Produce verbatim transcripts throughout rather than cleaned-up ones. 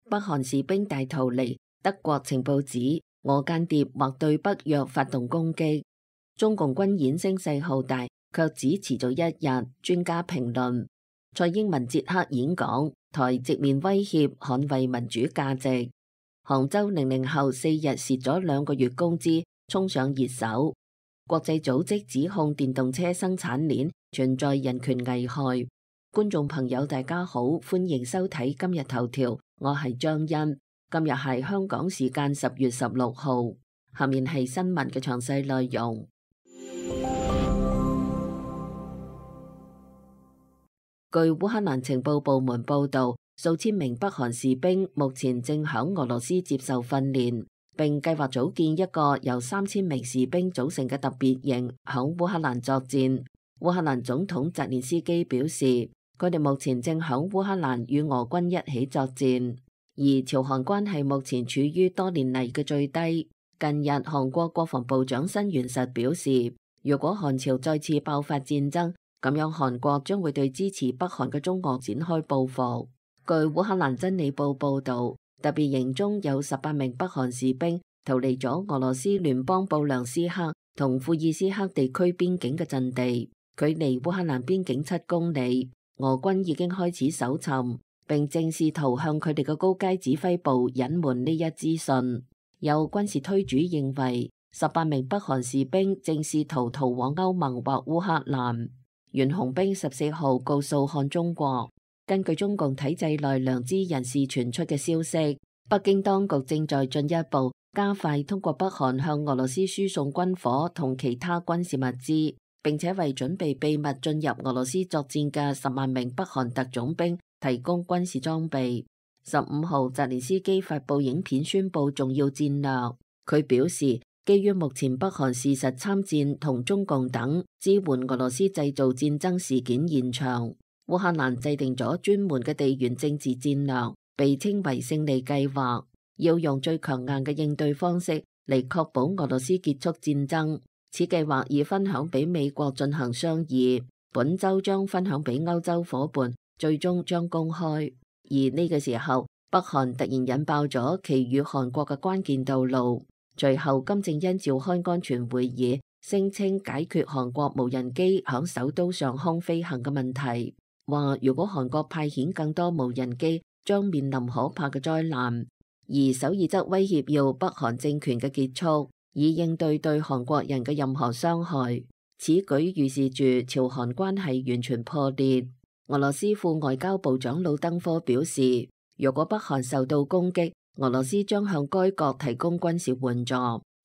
北韓士兵大逃離，德國情報指俄間諜或對北約發動攻擊。中共軍演聲勢浩大，卻只持續一日。專家評論：蔡英文捷克演講，台直面威脅，捍衛民主價值。杭州零零後四日蝕咗兩個月工資，衝上熱搜。國際組織指控電動車生產鏈存在人權危害。觀眾朋友大家好，歡迎收睇今日頭條，我係張欣。今日係香港時間十月十六號，下面係新聞嘅詳細內容。據烏克蘭情報部門報道，數千名北韓士兵目前正響俄羅斯接受訓練，並計劃組建一個由三千名士兵組成嘅特別營，響烏克蘭作戰。烏克蘭總統澤連斯基表示，佢哋目前正響烏克蘭與俄軍一起作戰。而朝韓關係目前處於多年嚟嘅最低。近日，韓國國防部長申元實表示，如果韓朝再次爆發戰爭，咁樣韓國將會對支持北韓嘅中俄展開報復。據烏克蘭真理報報導，特別營中有十八名北韓士兵逃離咗俄羅斯聯邦布良斯克同庫爾斯克地區邊境嘅陣地，距離烏克蘭邊境七公里。俄軍已經開始搜尋，並正試圖向佢哋嘅高階指揮部隱瞞呢一資訊。有軍事推主認為，十八名北韓士兵正試圖逃往歐盟或烏克蘭。袁紅兵十四號告訴看中國，根據中共體制內良知人士傳出嘅消息，北京當局正在進一步加快通過北韓向俄羅斯輸送軍火同其他軍事物資，並且為準備秘密進入俄羅斯作戰嘅十萬名北韓特種兵提供軍事裝備。十五號，澤連斯基發布影片宣布重要戰略。佢表示，基於目前北韓事實參戰同中共等支援俄羅斯製造戰爭事件現場，烏克蘭制定咗專門嘅地緣政治戰略，被稱為勝利計劃，要用最強硬嘅應對方式嚟確保俄羅斯結束戰爭。此計劃已分享俾美國進行商議，本週將分享俾歐洲夥伴，最終將公開。而呢個時候，北韓突然引爆咗其與韓國嘅關鍵道路。隨後，金正恩召開安全會議，聲稱解決韓國無人機響首都上空飛行嘅問題，話如果韓國派遣更多無人機，將面臨可怕嘅災難。而首爾則威脅要北韓政權嘅結束，以應對對韓國人嘅任何傷害。此舉預示住朝韓關係完全破裂。俄羅斯副外交部長魯登科表示，如果北韓受到攻擊，俄羅斯將向該國提供軍事援助，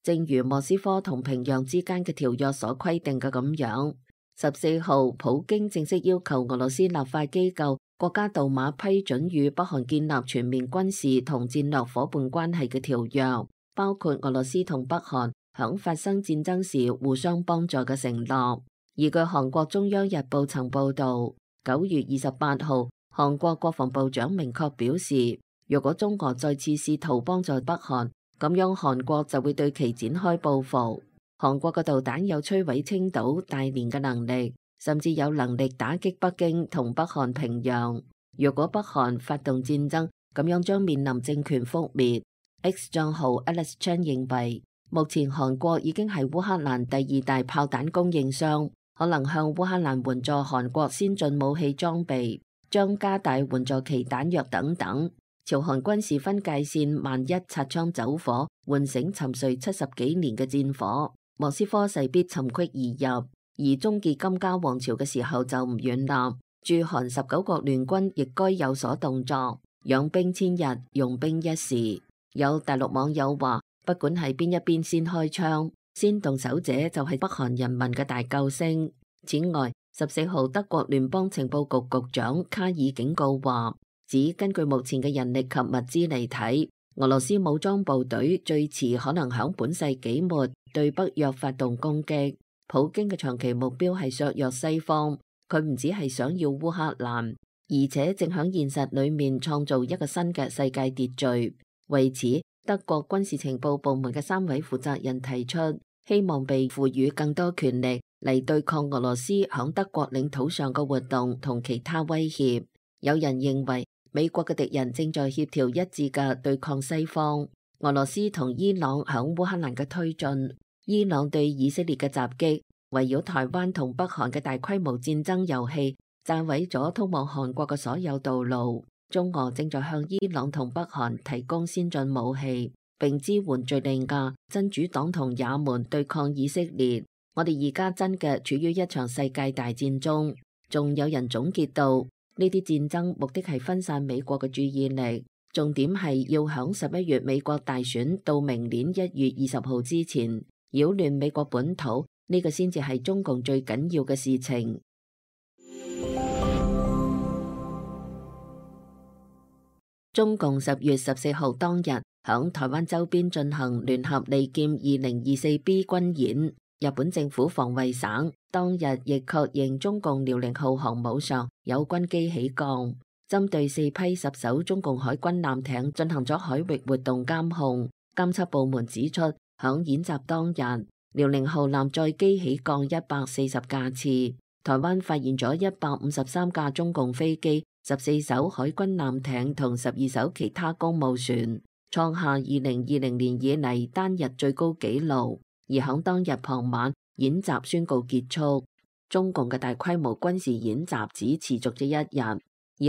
正如莫斯科同平壤之間嘅條約所規定嘅咁樣。十四號，普京正式要求俄羅斯立法機構國家杜馬批准與北韓建立全面軍事同戰略夥伴關係嘅條約，包括俄羅斯同北韓響發生戰爭時互相幫助嘅承諾。而據韓國中央日報曾報道，九月二十八號，韓國國防部長明確表示，如果中俄再次試圖幫助北韓，咁樣韓國就會對其展開報復。韓國嘅導彈有摧毀青島、大連嘅能力，甚至有能力打擊北京同北韓平壤。如果北韓發動戰爭，咁樣將面臨政權覆滅。X 賬號 Alex Chan 認為，目前韓國已經係烏克蘭第二大炮彈供應商，可能向烏克蘭援助韓國先進武器裝備，將加大援助其彈藥等等。朝韓軍事分界線萬一擦槍走火，喚醒沉睡七十幾年嘅戰火，莫斯科勢必尋隙而入。而終結金家王朝嘅時候就唔遠啦。駐韓十九國聯軍亦該有所動作，養兵千日，用兵一時。有大陸網友話，不管係邊一邊先開槍，先動手者就係北韓人民嘅大救星。此外，十四號德國聯邦情報局局長卡爾警告話，指根據目前嘅人力及物資嚟睇，俄羅斯武裝部隊最遲可能響本世紀末對北約發動攻擊。普京嘅長期目標係削弱西方，佢唔只係想要烏克蘭，而且正響現實裏面創造一個新嘅世界秩序。為此，德國軍事情報部門嘅三位負責人提出，希望被賦予更多權力嚟對抗俄羅斯響德國領土上嘅活動同其他威脅。有人認為，美國嘅敵人正在協調一致嘅對抗西方。俄羅斯同伊朗響烏克蘭嘅推進，伊朗對以色列嘅襲擊，圍繞台灣同北韓嘅大規模戰爭遊戲，炸毀咗通往韓國嘅所有道路。中俄正在向伊朗同北韓提供先進武器，並支援敘利亞、真主黨同也門對抗以色列。我哋而家真嘅處於一場世界大戰中。仲有人總結到，呢啲戰爭目的係分散美國嘅注意力，重點係要響十一月美國大選到明年一月二十號之前擾亂美國本土，呢個先至係中共最緊要嘅事情。中共十月十四號當日響台灣周邊進行聯合利劍二零二四 B 軍演。日本政府防衛省當日亦確認中共遼寧號航母上有軍機起降，針對四批十艘中共海軍艦艇進行咗海域活動監控。監測部門指出，響演習當日，遼寧號艦載機起降一百四十架次，台灣發現咗一百五十三架中共飛機、十四艘海軍艦艇同十二艘其他公務船，創下二零二零年以嚟單日最高紀錄。而響當日傍晚，演習宣告結束。中共嘅大規模軍事演習只持續咗一日，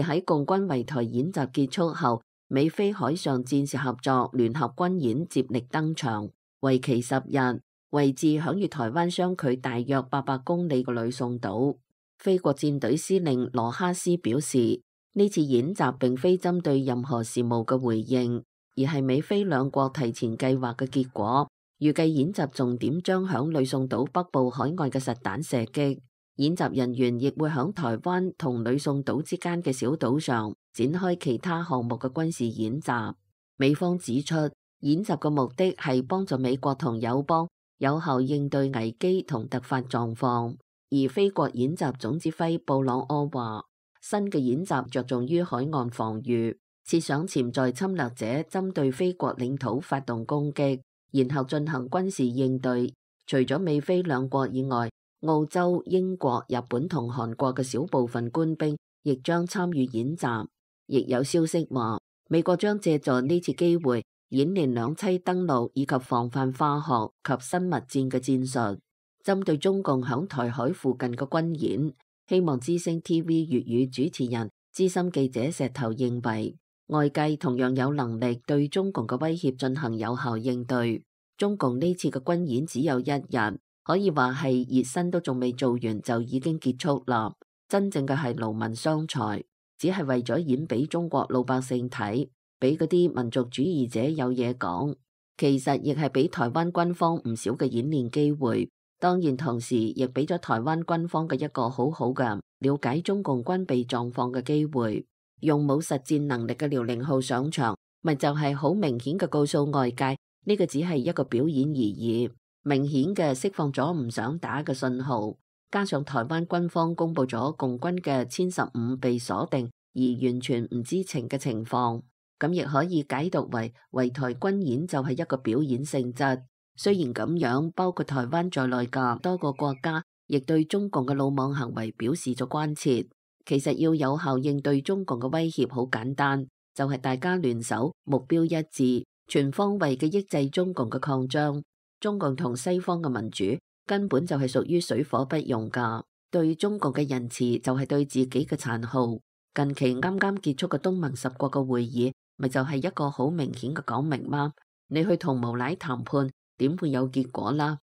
而喺共軍圍台演習結束後，美菲海上戰士合作聯合軍演接力登場，為期十日，位置響與台灣相距大約八百公里嘅呂宋島。菲國戰隊司令羅哈斯表示，呢次演習並非針對任何事務嘅回應，而係美菲兩國提前計劃嘅結果。預計演習重點將響呂宋島北部海岸嘅實彈射擊，演習人員亦會響台灣同呂宋島之間嘅小島上展開其他項目嘅軍事演習。美方指出，演習嘅目的係幫助美國同友邦有效應對危機同突發狀況。而菲國演習總指揮布朗柯話，新嘅演習着重於海岸防禦，設想潛在侵略者針對菲國領土發動攻擊，然後進行軍事應對。除咗美菲兩國以外，澳洲、英國、日本同韓國嘅小部分官兵亦將參與演習。亦有消息話，美國將借助呢次機會演練兩棲登陸以及防範化學及生物戰嘅戰術。針對中共響台海附近嘅軍演，希望之聲 T V 粵語主持人資深記者石頭認為，外界同樣有能力對中共嘅威脅進行有效應對。中共呢次嘅軍演只有一日，可以話係熱身都仲未做完就已經結束啦。真正嘅係勞民傷財，只係為咗演俾中國老百姓睇，俾嗰啲民族主義者有嘢講。其實亦係俾台灣軍方唔少嘅演練機會，當然同時亦俾咗台灣軍方嘅一個好好嘅了解中共軍備狀況嘅機會。用冇實戰能力嘅遼寧號上場，咪就係好明顯嘅告訴外界，呢個只係一個表演而已，明顯嘅釋放咗唔想打嘅信號。加上台灣軍方公布咗共軍嘅殲十五被鎖定而完全唔知情嘅情況，咁亦可以解讀為圍台軍演就係一個表演性質。雖然咁樣，包括台灣在內嘅多個國家亦對中共嘅魯莽行為表示咗關切。其實要有效應對中共嘅威脅好簡單，就係大家聯手，目標一致，全方位嘅抑制中共嘅擴張。中共同西方嘅民主根本就係屬於水火不容噶，對中共嘅仁慈就係對自己嘅殘酷。近期啱啱結束嘅東盟十國嘅會議，咪就係一個好明顯嘅講明嗎？你去同無賴談判，點會有結果啦？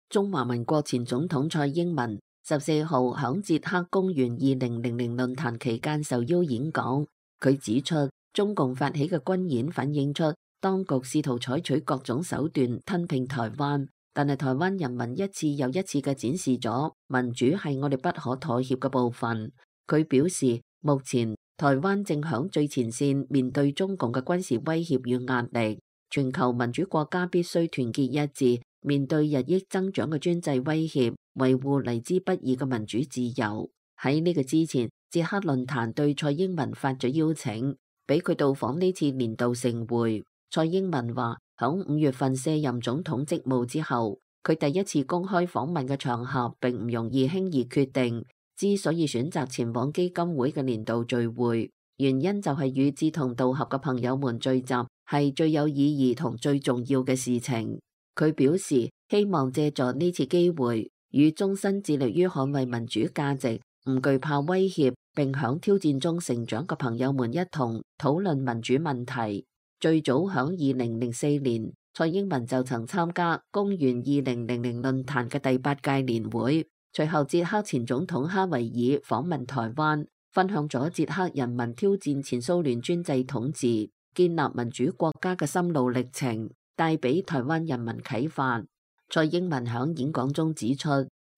中華民國前總統蔡英文十四號響捷克公園二零零零論壇期間受邀演講，佢指出中共發起嘅軍演反映出當局試圖採取各種手段吞併台灣，但係台灣人民一次又一次嘅展示咗民主係我哋不可妥協嘅部分。佢表示，目前台灣正響最前線面對中共嘅軍事威脅與壓力，全球民主國家必須團結一致，面對日益增長嘅專制威脅，維護嚟之不易嘅民主自由。喺呢個之前，捷克論壇對蔡英文發咗邀請，俾佢到訪呢次年度盛會。蔡英文話，響五月份卸任總統職務之後，佢第一次公開訪問嘅場合並唔容易輕易決定，之所以選擇前往基金會嘅年度聚會，原因就係與志同道合嘅朋友們聚集係最有意義同最重要嘅事情。佢表示希望借助呢次機會，與終身致力於捍衛民主價值、唔懼怕威脅並響挑戰中成長嘅朋友們一同討論民主問題。最早響二零零四年，蔡英文就曾參加公元二零零零論壇嘅第八屆年會，隨後捷克前總統哈維爾訪問台灣，分享咗捷克人民挑戰前蘇聯專制統治、建立民主國家嘅心路歷程，帶俾台灣人民啟發。蔡英文響演講中指出，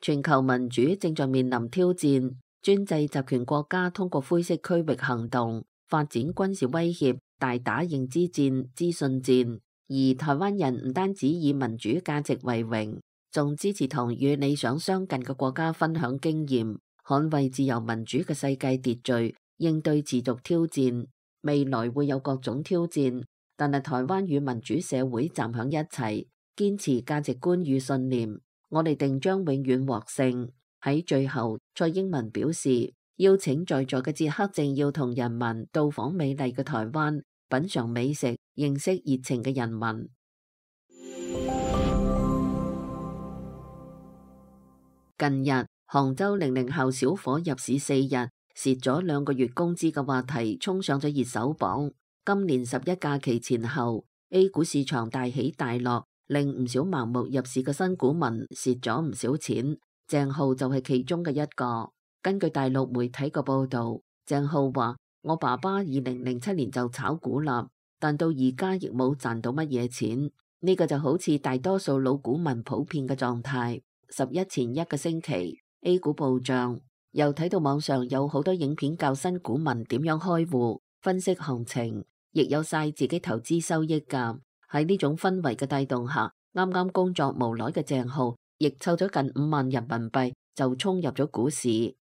全球民主正在面臨挑戰，專制集權國家通過灰色區域行動，發展軍事威脅，大打認知戰、資訊戰。而台灣人唔單止以民主價值為榮，仲支持同與理想相近嘅國家分享經驗，捍衛自由民主嘅世界秩序，應對持續挑戰。未來會有各種挑戰，但係台灣與民主社會站響一齊，堅持價值觀與信念，我哋定將永遠獲勝。喺最後，蔡英文表示，邀請在座嘅捷克政要同人民到訪美麗嘅台灣，品嚐美食，認識熱情嘅人民。近日，杭州零零後小伙入市四日，蝕咗兩個月工資嘅話題衝上咗熱搜榜。今年十一假期前後， A 股市場大起大落，令唔少盲目入市嘅新股民蝕咗唔少錢。鄭浩就係其中嘅一個。根據大陸媒體嘅報道，鄭浩話：我爸爸二零零七年就炒股啦，但到而家亦冇賺到乜嘢錢。呢個就好似大多數老股民普遍嘅狀態。十一前一個星期 A 股暴漲，又睇到網上有好多影片教新股民點樣開戶、分析行情，亦有晒自己投資收益㗎。喺呢種氛圍嘅帶動下，啱啱工作無耐嘅鄭浩亦湊咗近五萬人民幣就衝入咗股市，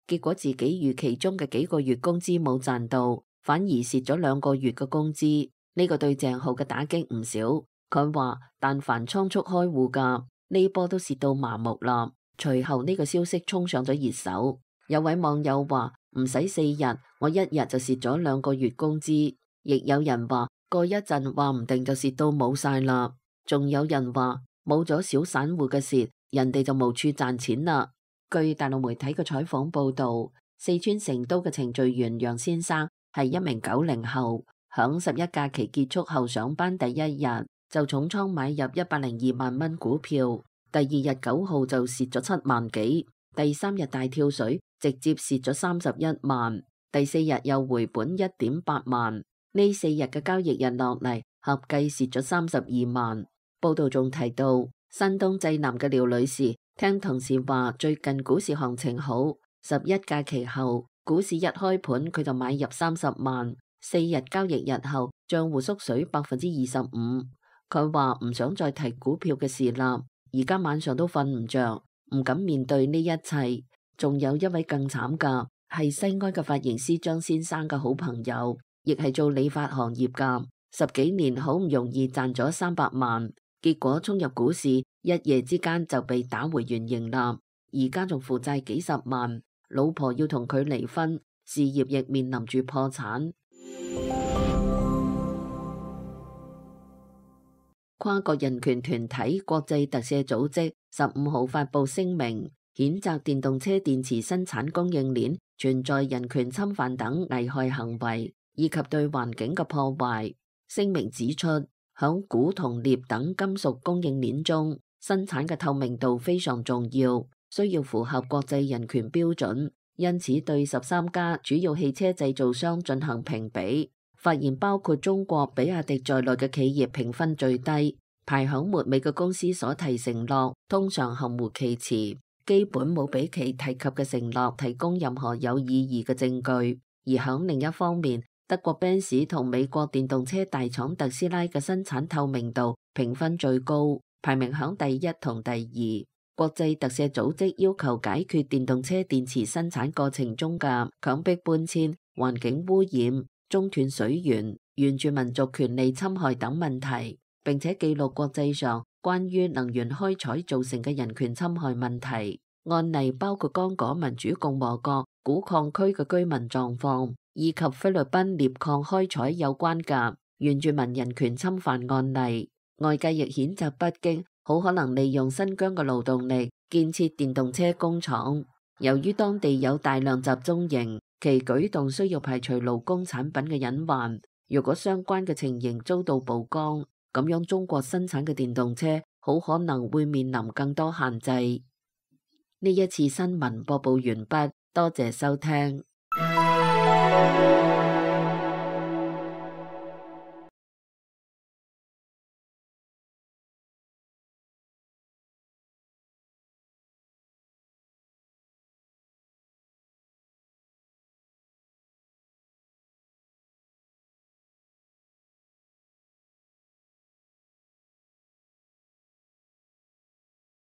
結果自己預期中嘅幾個月工資冇賺到，反而蝕咗兩個月嘅工資。呢個對鄭浩嘅打擊唔少。佢話但凡倉促開戶㗎，呢波都蝕到麻木啦。隨後呢個消息衝上咗熱搜，有位網友話唔使四日，我一日就蝕咗兩個月工資。亦有人話過一陣話唔定就蝕到冇晒啦。仲有人話冇咗小散戶嘅蝕，人哋就無處賺錢啦。據大陸媒體嘅採訪報道，四川成都嘅程序員楊先生係一名九零後，響十一假期結束後上班第一日就重倉買入一百零二萬蚊股票，第二日九號就蝕咗七萬幾，第三日大跳水直接蝕咗三十一萬，第四日又回本一點八萬，呢四日嘅交易日落嚟合計蝕咗三十二萬。報道仲提到，山東濟南嘅廖女士聽同事話最近股市行情好，十一假期後股市一開盤佢就買入三十萬，四日交易日後賬戶縮水百分之二十五。佢話唔想再提股票嘅事啦，而家晚上都瞓唔着，唔敢面對呢一切。仲有一位更慘噶，係西安嘅髮型師張先生嘅好朋友，亦係做理髮行業噶，十幾年好唔容易賺咗三百萬，結果衝入股市，一夜之間就被打回原形啦。而家仲負債幾十萬，老婆要同佢離婚，事業亦面臨住破產。跨國人權團體國際特赦組織十五號發布聲明，譴責電動車電池生產供應鏈存在人權侵犯等危害行為，以及對環境嘅破壞。聲明指出，響鈷同鎳等金屬供應鏈中，生產嘅透明度非常重要，需要符合國際人權標準。因此，對十三家主要汽車製造商進行評比，發現包括中國比亞迪在內嘅企業評分最低，排響末尾嘅公司所提承諾通常含糊其辭，基本冇俾其提及嘅承諾提供任何有意義嘅證據。而響另一方面，德國賓士同美國電動車大廠特斯拉嘅生產透明度評分最高，排名響第一同第二。國際特赦組織要求解決電動車電池生產過程中嘅強迫搬遷、環境污染、中斷水源、原住民族權利侵害等問題，並且記錄國際上關於能源開採造成嘅人權侵害問題。案例包括剛果民主共和國古礦區嘅居民狀況，以及菲律賓鎳礦開採有關嘅原住民人權侵犯案例。外界亦譴責北京好可能利用新疆嘅勞動力建設電動車工廠。由於當地有大量集中營，其舉動需要排除勞工產品嘅隱患。如果相關嘅情形遭到曝光，咁樣中國生產嘅電動車好可能會面臨更多限制。呢一次新聞播報完畢，多謝收聽。